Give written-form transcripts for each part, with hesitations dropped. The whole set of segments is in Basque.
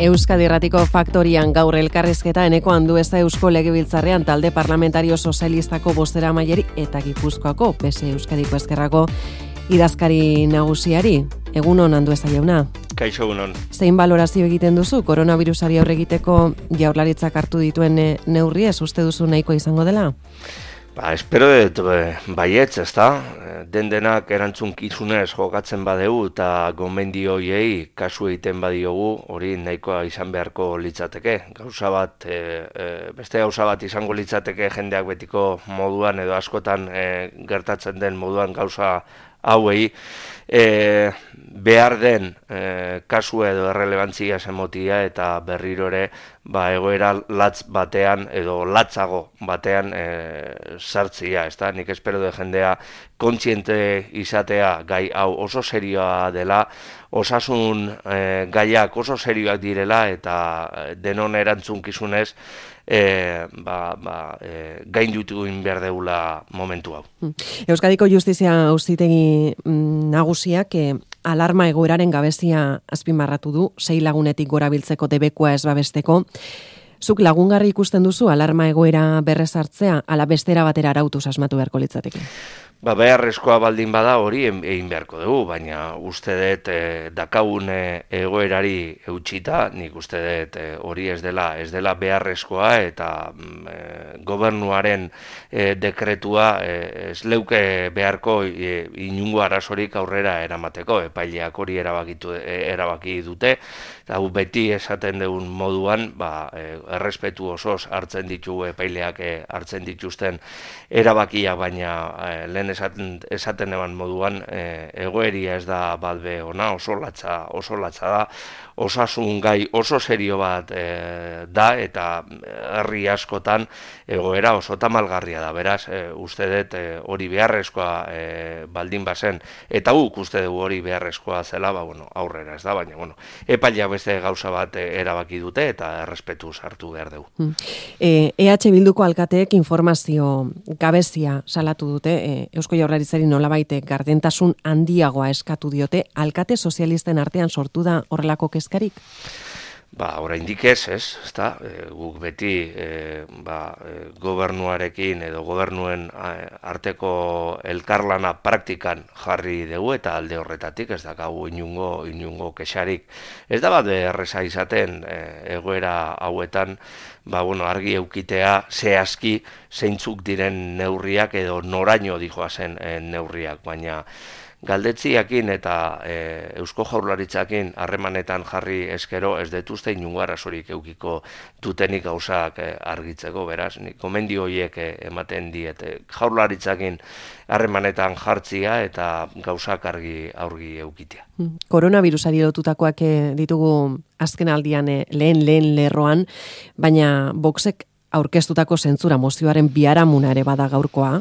Euskadi Irratiko Faktorian gaur elkarrizketa Eneko Andueza Eusko Legebiltzarrean talde parlamentario sozialistako bozeramaileri eta Gipuzkoako PSE Euskadiko Ezkerrako idazkari nagusiari. Egunon Andueza jauna. Kaixo egunon. Zein balorazio egiten duzu koronabirusari aurre egiteko Jaurlaritzak hartu dituen neurriez uste duzu nahikoa izango dela? Espero dut baietz, ezta? Denak erantzunkizunez jokatzen badegu eta gomendio hoiei kasu egiten badiogu, hori nahikoa izan beharko litzateke. Beste gauza bat izango litzateke jendeak betiko moduan edo askotan gertatzen den moduan gauza hauei behar den kasu edo errelebantzia emotia eta berriro ere egoera latz batean edo latzago batean sartzia, ezta? Nik espero de jendea kontziente izatea gai hau oso serioa dela, osasun gaiak oso serioak direla eta denon erantzunkizunez gainditu egin behar deula momentu hau. Euskadiko Justizia Auzitegi Nagusiak alarma egoeraren gabezia azpimarratu du, 6 lagunetik gora biltzeko debekua ez babesteko. Zuk lagungarri ikusten duzu alarma egoera berrezartzea, ala bestera batera arautuz asmatu beharko litzateke? Beharrezkoa baldin bada hori egin beharko dugu, baina uste dut dakagun egoerari eutxita, nik uste dut hori ez dela beharrezkoa eta gobernuaren dekretua ez leuke beharko inungo arazorik aurrera eramateko, epaileak hori erabaki dute, eta beti esaten dugun moduan errespetu osoz hartzen ditugu epaileak hartzen dituzten erabakia, baina lehen esaten eban moduan egoeria ez da balbe ona, oso latza da, osasun gai oso serio bat da eta herri askotan egoera oso tamalgarria da, beraz uste dut hori beharrezkoa baldin bazen, eta guk uste dugu hori beharrezkoa zela, aurrera ez da, baina epailea beste gauza bat erabaki dute eta errespetu sartu behar dugu. EH Bilduko alkateek informazio gabezia salatu dute, Eusko Jaurlaritzari nolabait gardentasun handiagoa eskatu diote, alkate sozialisten artean sortu da horrelako kezkarik? Oraindik ez, ezta? Guk beti gobernuarekin edo gobernuen arteko elkarlana praktikan jarri dugu eta alde horretatik ez dakagu inungo kexarik. Ez da bat erreza izaten egoera hauetan argi eukitea zehazki zeintzuk diren neurriak edo noraino dijoazen neurriak, baina galdetziakin eta Eusko Jaurlaritzakin harremanetan jarri eskero ez detuzte inungo arazorik eukiko dutenik gauzak argitzeko, beraz, gomendio horiek ematen diete Jaurlaritzakin harremanetan jartzia eta gauzak argi eukitea. Koronavirusari lotutakoak ditugu azken aldian lehen lerroan, baina Voxek aurkeztutako zentzura mozioaren biharamuna ere bada gaurkoa.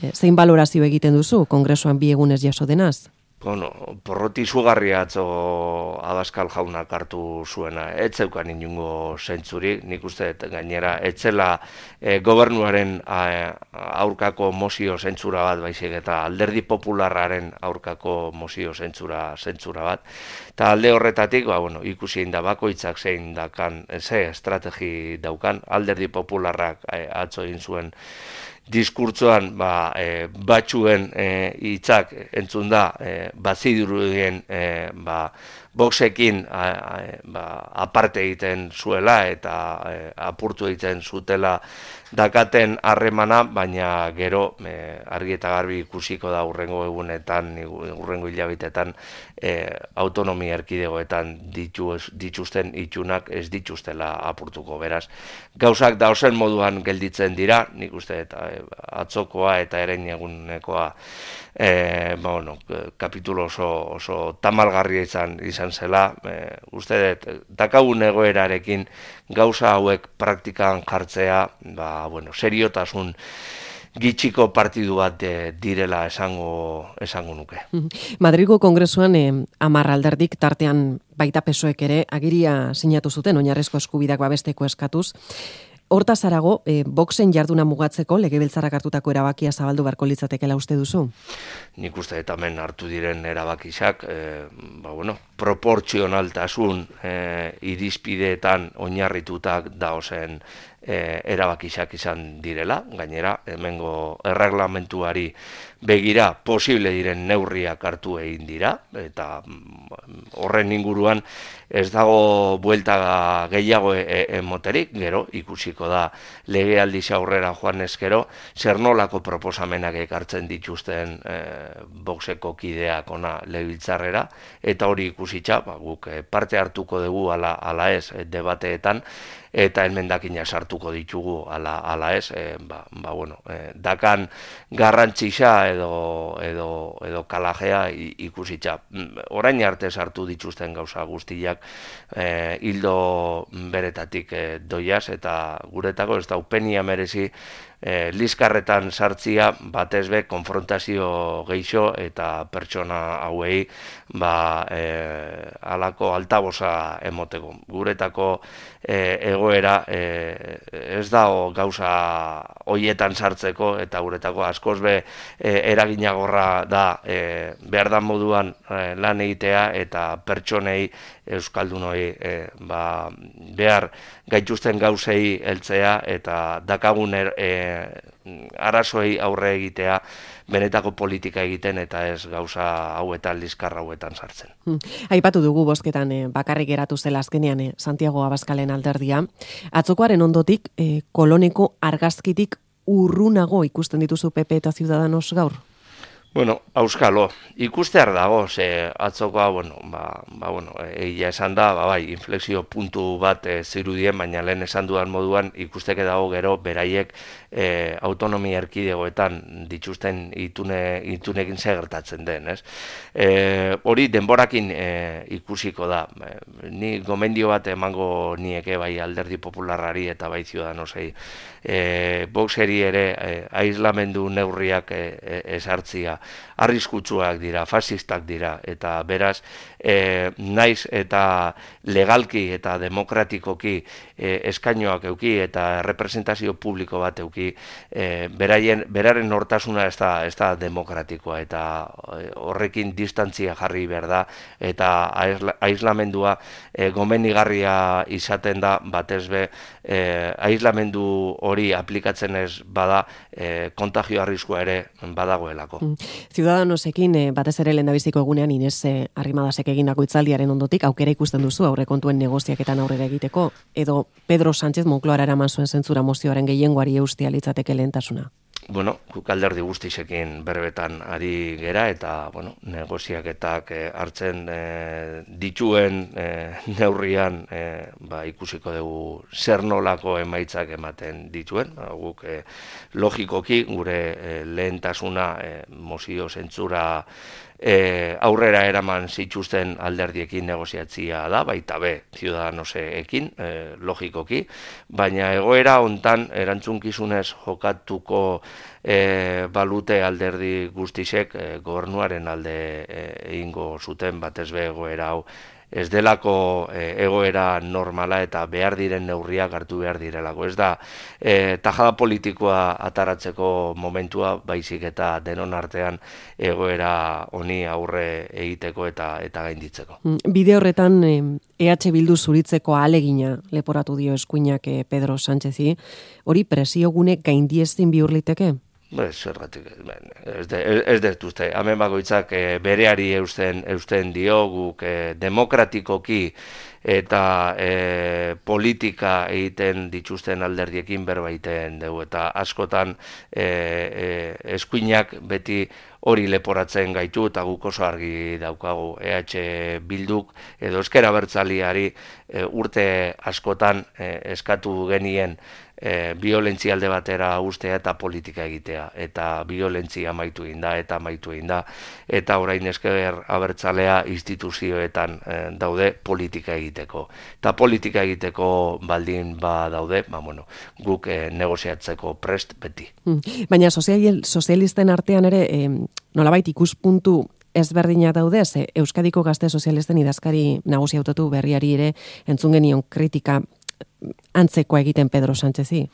Zein balorazio egiten duzu kongresuan 2 egunez jaso denaz? Porroti izugarria atzo Abascal jaunak hartu zuena, ez zeukan inungo zentzurik, nik uste gainera etzela gobernuaren aurkako mozio zentzura bat baizik eta alderdi popularraren aurkako mozio zentzura bat. Eta alde horretatik, ikusi da bakoitzak zein dakan, ze estrategi daukan, alderdi popularrak atzo egin zuen diskurtsoan batzuen hitzak entzun da bazidurudien Voxekin aparte egiten zuela eta apurtu egiten zutela dakaten harremana, baina gero argi eta garbi ikusiko da urrengo egunetan, urrengo hilabetetan autonomia erkidegoetan dituzten itxunak ez dituztela apurtuko, beraz. Gauzak dausen moduan gelditzen dira, nik uste atzokoa eta erein egunekoa kapitulo oso tamalgarria izan zela, uste dut, dakagun egoerarekin gauza hauek praktikan jartzea, seriotasun gitxiko partidu bat direla esango nuke. Madrilgo Kongresuan 10 alderdik tartean baita PSOEk ere agiria sinatu zuten oinarrizko eskubideak babesteko eskatuz. Hortaz harago, boxen jarduna mugatzeko legebiltzarrak hartutako erabakia zabaldu beharko litzatekeela uste duzu? Nik uste eta hemen hartu diren erabakizak, proportzionaltasun irizpideetan oinarritutak daozen erabakizak izan direla, gainera, hemengo erreglamentuari begira posible diren neurriak hartu egin dira, eta horren inguruan ez dago buelta gehiago emoterik, gero ikusiko da legealdiz aurrera joan ezkero, zer nolako proposamenak ekartzen dituzten boxeko kideak ona legebiltzarrera, eta hori ikusitza, guk parte hartuko dugu ala ez debateetan, eta emendakina sartuko ditugu ala ez, dakan garrantzisa edo kalajea ikusitza. Orain arte sartu dituzten gauza guztiak hildo beretatik doiaz, eta guretako ez da upenia merezi liskarretan sartzia batezbe konfrontazio geixo eta pertsona hauei alako altabosa emoteko. Guretako egoera ez dago gauza hoietan sartzeko, eta guretako askoz be eraginagorra da behar da moduan lan egitea eta pertsonei euskaldunoi behar gaituzten gauzei heltzea eta dakagun arazoei aurre egitea benetako politika egiten eta ez gauza hauetan, liskar hauetan sartzen. Aipatu dugu bozketan bakarrik geratu zela azkenean Santiago Abascalen alderdia. Atzokoaren ondotik koloneko argazkitik urrunago ikusten dituzu PP eta Ciudadanos gaur? Auskalo, ikustear dago, ze atzokoa, egia esan da, inflexio puntu bat zirudien, baina lehen esan dudan moduan ikusteke dago gero beraiek autonomia erkidegoetan dituzten itunekin gertatzen den, ez? Hori denborakin ikusiko da. Ni gomendio bat emango nieke bai Alderdi Popularrari eta bai Ciudadanosei. Boxeri ere aislamendu neurriak ezartzia arriskutsuak dira, fasistak dira, eta beraz, naiz eta legalki eta demokratikoki eskainoak euki eta representazio publiko bat euki, beraren nortasuna ez da demokratikoa, eta horrekin distantzia jarri behar da, eta aislamendua gomenigarria izaten da, batezbe aislamendu hori aplikatzen ez bada, kontagio arriskua ere badagoelako. Ciudadanosekin batez ere lehendabiziko egunean Inés Arrimadasek egindako hitzaldiaren ondotik aukera ikusten duzu aurrekontuen negoziaketan aurrera egiteko, edo Pedro Sánchez Moncloara eraman zuen zentzura mozioaren gehiengoari eustea litzateke lehentasuna? Guk alderdi guztisekin berbetan ari gera, eta negoziaketak hartzen dituen neurrian ikusiko dugu zer nolako emaitzak ematen dituen. Guk logikoki gure lehentasuna mozio zentzura aurrera eraman zituzten alderdiekin negoziatzia da, baita be Ciudadanosekin, logikoki, baina egoera hontan erantzunkizunez jokatuko balute alderdi guztisek gobernuaren alde egingo zuten, batez be egoera hau ez delako egoera normala eta behar diren neurriak hartu behar direlako. Ez da tajada politikoa ataratzeko momentua, baizik eta denon artean egoera honi aurre egiteko eta gainditzeko. Bide horretan EH Bildu zuritzeko ahalegina leporatu dio eskuinak Pedro Sánchezi, hori presiogune gaindiezin bihur liteke? Zergatik, ez dut uste, hemen bakoitzak bereari eusten dio, guk demokratikoki eta politika egiten dituzten alderdiekin berbaiten dugu, eta askotan eskuinak beti hori leporatzen gaitu, eta guk oso argi daukagu EH Bilduk edo Ezker Abertzaleari urte askotan eskatu genien violentzia alde batera ustea eta politika egitea, eta violentzia amaitu egin da, eta orain Ezker Abertzalea instituzioetan daude politika egiteko. Eta politika egiteko baldin daude, guk negoziatzeko prest beti. Baina sozialisten artean ere, nolabait ikuspuntu ezberdina daude, ze Euskadiko Gazte Sozialisten idazkari nagusi hautatu berriari ere entzun genion kritika antzekoa egiten Pedro Sánchezi?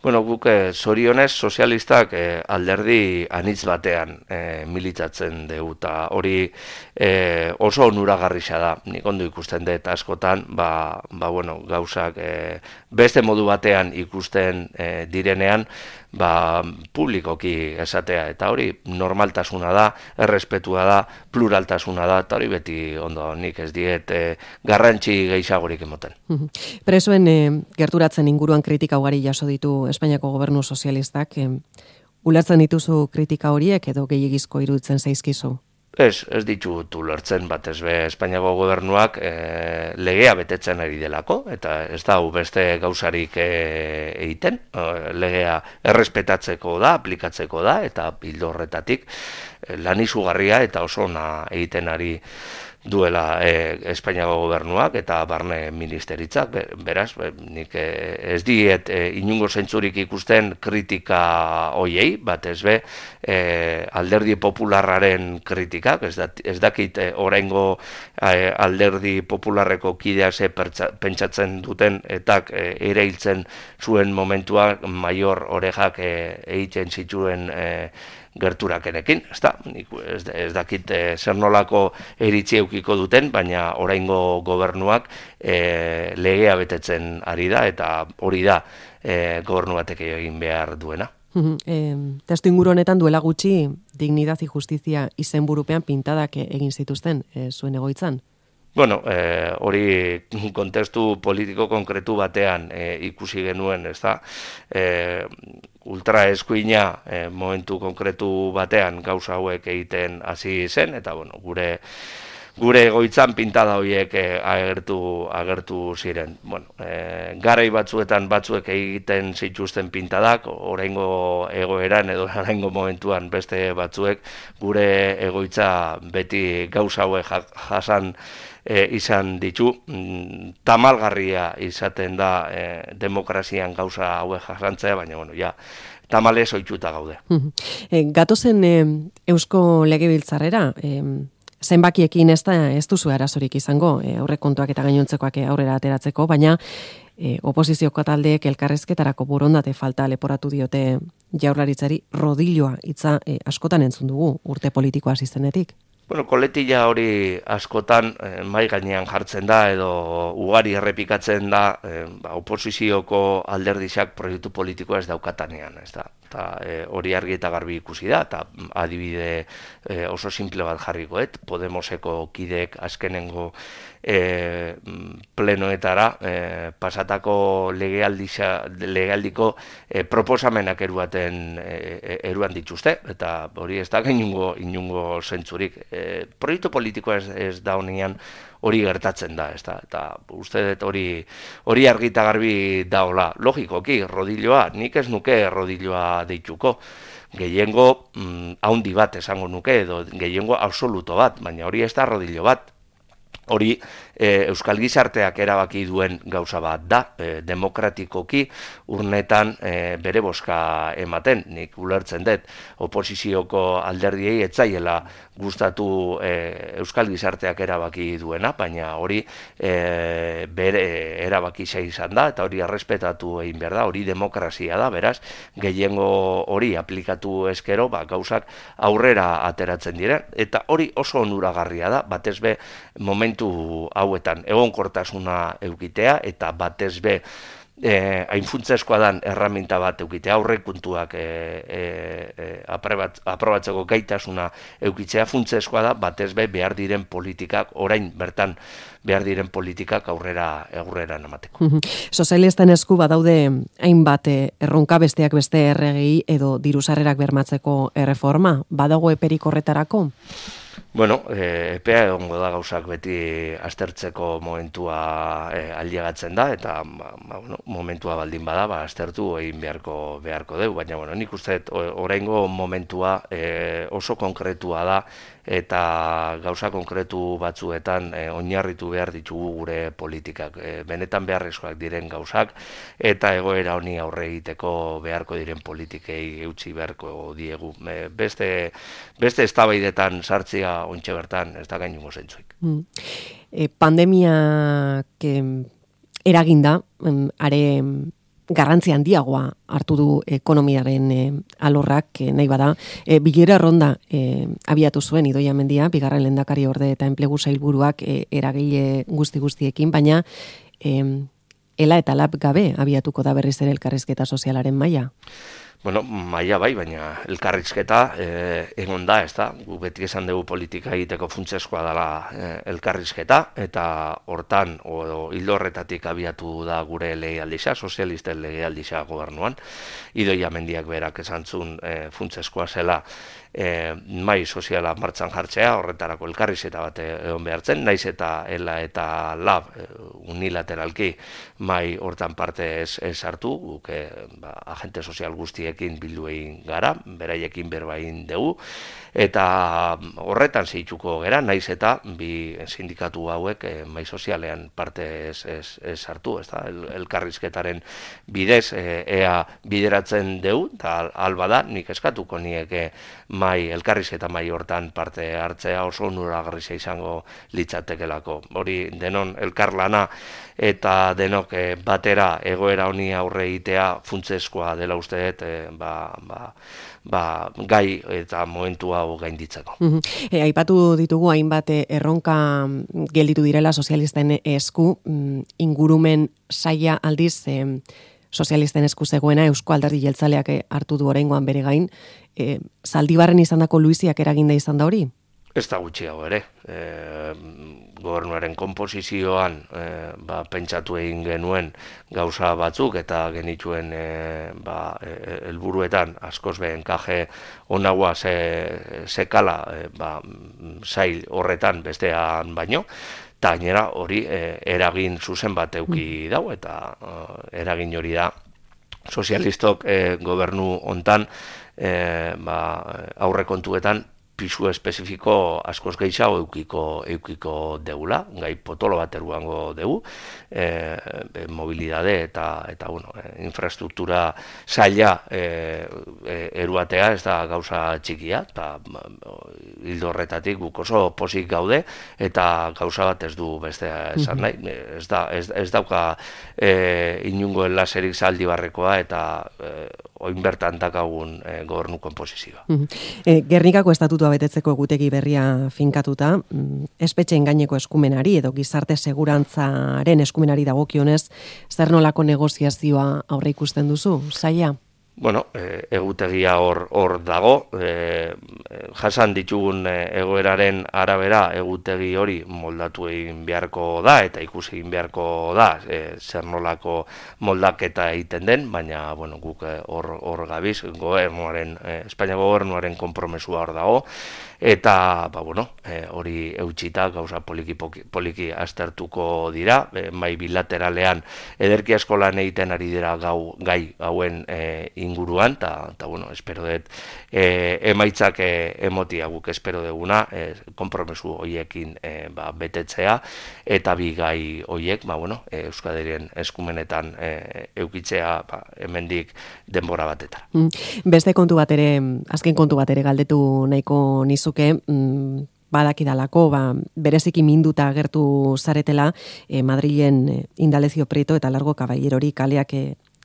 Bueno, guk zorionez sozialistak alderdi anitz batean militatzen dugu, eta hori oso onuragarria da. Nik ondo ikusten dut askotan, bueno, gauzak beste modu batean ikusten direnean, publikoki esatea, eta hori normaltasuna da, errespetua da, pluraltasuna da, eta hori beti ondo, nik ez diet garrantzi gehiagorik emoten. Presoen gerturatzen inguruan kritika ugari jaso ditu Espainiako gobernu sozialistak, ulertzen dituzu kritika horiek edo gehiegizko iruditzen zaizkizu? Ez ditut ulertzen, batez be Espainiako gobernuak legea betetzen ari delako, eta ez da beste gauzarik egiten, legea errespetatzeko da, aplikatzeko da, eta bildo horretatik lan izugarria eta oso ona egiten ari duela Espainiako gobernuak eta barne ministeritzak, beraz, nik ez diet inungo zentzurik ikusten kritika hoiei, batez be alderdi popularraren kritikak, ez dakit oraingo alderdi popularreko kidea ze pentsatzen duten etak erailtzen zuen momentua maior orejak egiten zituen gerturakenekin, ez dakit zer nolako iritzi eukiko duten, baina oraingo gobernuak legea betetzen ari da, eta hori da gobernu batek egin behar duena. Testu inguru honetan duela gutxi Dignidad y Justizia izenburupean pintadak egin zituzten zuen egoitzan? Bueno, hori kontestu politiko konkretu batean ikusi genuen, ez da, ultraeskuina momentu konkretu batean gauza hauek egiten hasi zen, eta bueno, gure egoitzan pintada horiek agertu ziren. Bueno, garai batzuetan batzuek egiten zituzten pintadak, oraingo egoeran edo oraingo momentuan beste batzuek gure egoitza beti gauza hauek jasan izan ditu, tamalgarria izaten da demokrazian gauza hauek jasantzea, baina bueno, ja, tamalez ohituta gaude. Gatozen Eusko Legebiltzarrera, zenbakiekin ez duzu arazorik izango, aurrekontuak eta gainontzekoak aurrera ateratzeko, baina oposizioko taldeek elkarrezketarako borondate falta leporatu diote Jaurlaritzari. Rodilloa hitza askotan entzun dugu urte politikoa hasi zenetik. Bueno, koletilla hori askotan mai gainean jartzen da edo ugari errepikatzen da oposizioko alderdizak proiektu politikoa ez daukatanean, ez da. Hori argi eta garbi ikusi da, eta adibide oso simple bat jarrikoet, Podemoseko kideek azkenengo plenoetara pasatako legealdiko proposamenak eruan dituzte, eta hori ez da inungo zentzurik. Proiektu politikoa ez da honean hori gertatzen da, eta uste dut hori argi eta garbi daola. Logikoki, rodilloa, nik ez nuke rodilloa deituko, gehiengo haundi bat esango nuke, edo gehiengo absoluto bat, baina hori ez da rodillo bat. Hori Euskal Gizarteak erabaki duen gauza bat da, demokratikoki urnetan bere bozka ematen. Nik ulertzen dut oposizioko alderdiei etzaiela gustatu Euskal Gizarteak erabaki duena, baina hori bere erabaki izan da, eta hori errespetatu egin behar da, hori demokrazia da, beraz, gehiengo hori aplikatu eskero, gauzak aurrera ateratzen diren, eta hori oso onuragarria da, batez be momentu hauetan egonkortasuna eukitea, eta batez be hain funtseskoa dan erraminta bat eukitea, aurrekontuak aprobatzeko gaitasuna eukitzea funtseskoa da, batez be behar diren politikak, orain bertan behar diren politikak aurrera emateko. Sozialisten esku badaude hainbat erronka, besteak beste erregi edo dirusarrerak bermatzeko erreforma, badago eperik horretarako? Bueno, epea egongo da gauzak beti aztertzeko momentua ailegatzen da, eta momentua baldin bada, aztertu egin beharko dugu, baina nik uste oraingo momentua oso konkretua da, eta gauza konkretu batzuetan oinarritu behar ditugu gure politikak. Benetan beharrezkoak diren gauzak, eta egoera honi aurre egiteko beharko diren politikei eutsi beharko diegu. Beste eztabaidetan sartzea ontxe bertan ez da gainungo zentzuik. Pandemiak eraginda, are garrantzi handiagoa hartu du ekonomiaren alorrak, nahi bada. Bilera ronda abiatu zuen Idoia Mendia, bigarren lehendakari orde eta enplegu sailburuak eragile guztiekin, baina ela eta lab gabe abiatuko da berriz ere elkarrizketa sozialaren maila. Bueno, maila bai, baina elkarrizketa egon da, ez da? Gu beti esan dugu politika egiteko funtsezkoa dela elkarrizketa, eta hortan, hildo horretatik abiatu da gure legealdixa, sozialisten legealdixa gobernuan. Idoia Mendiak berak esan zuen funtsezkoa zela mai soziala martxan jartzea, horretarako elkarrizketa bat egon behartzen, naiz eta ela eta lab unilateralki mai hortan parte ez hartu, guk agente sozial guztiekin bildu egin gara, beraiekin berba egin dugu, eta horretan zehituko gera, naiz eta bi sindikatu hauek mai sozialean parte ez hartu, ez da, elkarrizketaren bidez ea bideratzen dugu, eta alba da, nik eskatuko nieke elkarrizketa mai hortan parte hartzea oso onuragarria izango litzatekelako. Hori denon elkarlana eta denok batera egoera honi aurre egitea funtsezkoa dela uste dut gai eta momentu hau gainditzeko. Aipatu ditugu hainbat erronka gelditu direla sozialisten esku, ingurumen saila aldiz sozialisten esku zegoena Eusko Alderdi Jeltzaleak hartu du oraingoan bere gain. Zaldibarren izandako luiziak eraginda izan da hori? Ez da gutxiago ere. Gobernuaren konposizioan pentsatu egin genuen gauza batzuk eta genituen helburuetan askoz be enkaje onagoa sekala sail horretan bestean baino, eta gainera hori eragin zuzen bat eduki dau, eta eragin hori da sozialistok gobernu hontan aurrekontuetan pisu espezifiko askoz gehiago eukiko deula, gai potolo bat eruango dugu, mobilidade eta infrastruktura zaila eruatea ez da gauza txikia, eta hildo horretatik guk oso pozik gaude, eta gauza bat ez du bestea esan nahi, ez dauka inungo enlaserik Zaldibarrekoa eta oin bertan dakagun gobernu konposizioa. Gernikako estatutua betetzeko egutegi berria finkatuta, espetxeen gaineko eskumenari edo gizarte segurantzaren eskumenari dagokionez, zer nolako negoziazioa aurre ikusten duzu, saia? Bueno, egutegia hor dago, jasan ditugun egoeraren arabera egutegi hori moldatu egin beharko da eta ikusi egin beharko da zer nolako moldaketa egiten den, baina guk hor gabiz, Espainia gobernuaren konpromesua hor dago, eta hori eutxita gauza poliki aztertuko dira, mai bilateralean ederki asko lan egiten ari dira gai hauen inguruan, eta espero dut emaitzak emotia guk espero duguna, konpromesu horiekin betetzea, eta bi gai horiek Euskadirien eskumenetan eukitzea hemendik denbora batetara. Beste kontu bat ere, azken kontu bat ere galdetu nahiko nizuke, badakidalako, bereziki minduta agertu zaretela Madrilen Indalecio Prieto eta Largo Caballerori kaleak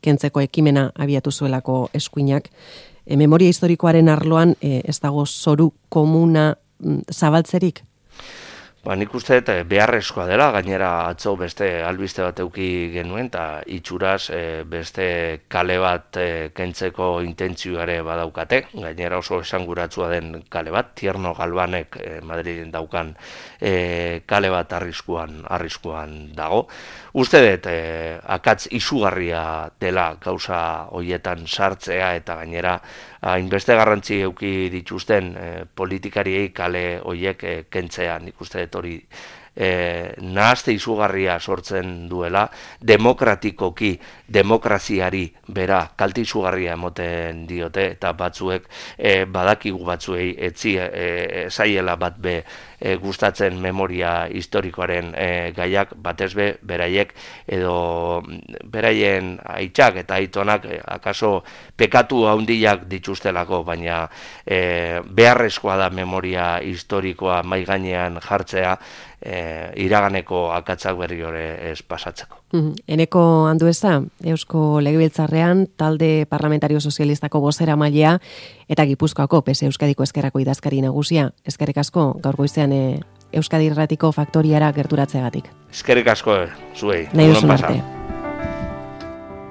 kentzeko ekimena abiatu zuelako eskuinak. Memoria historikoaren arloan ez dago zoru komuna zabaltzerik? Nik uste beharrezkoa dela, gainera atzo beste albiste bat eduki genuen, eta itxuraz beste kale bat kentzeko intentzioare badaukate, gainera oso esanguratsua den kale bat, Tierno Galbanek Madrilen daukan kale bat arriskuan dago. Uste dut, akatz izugarria dela gauza horietan sartzea eta gainera hainbeste garrantzi eduki dituzten politikariei kale horiek kentzea. Nik uste dut hori nahazte izugarria sortzen duela, demokratikoki demokraziari bera kalte izugarria emoten diote, eta batzuek badakigu batzuei etzi zaiela bat be gustatzen memoria historikoaren gaiak, batez be beraiek edo beraien aitzak eta aitonak akaso pekatu handiak dituztelako, baina beharrezkoa da memoria historikoa mai gainean jartzea, iraganeko akatzak berri hori ez pasatzeko. Eneko Andueza, Eusko Legebiltzarrean talde parlamentario sozialistako bozeramailea eta Gipuzkoako PSE Euskadiko Ezkerrako idazkari nagusia. Eskerrik asko gaur goizean Euskadi Irratiko faktoriara gerturatzeagatik. Eskerrik asko zuei. Nahi duzun arte.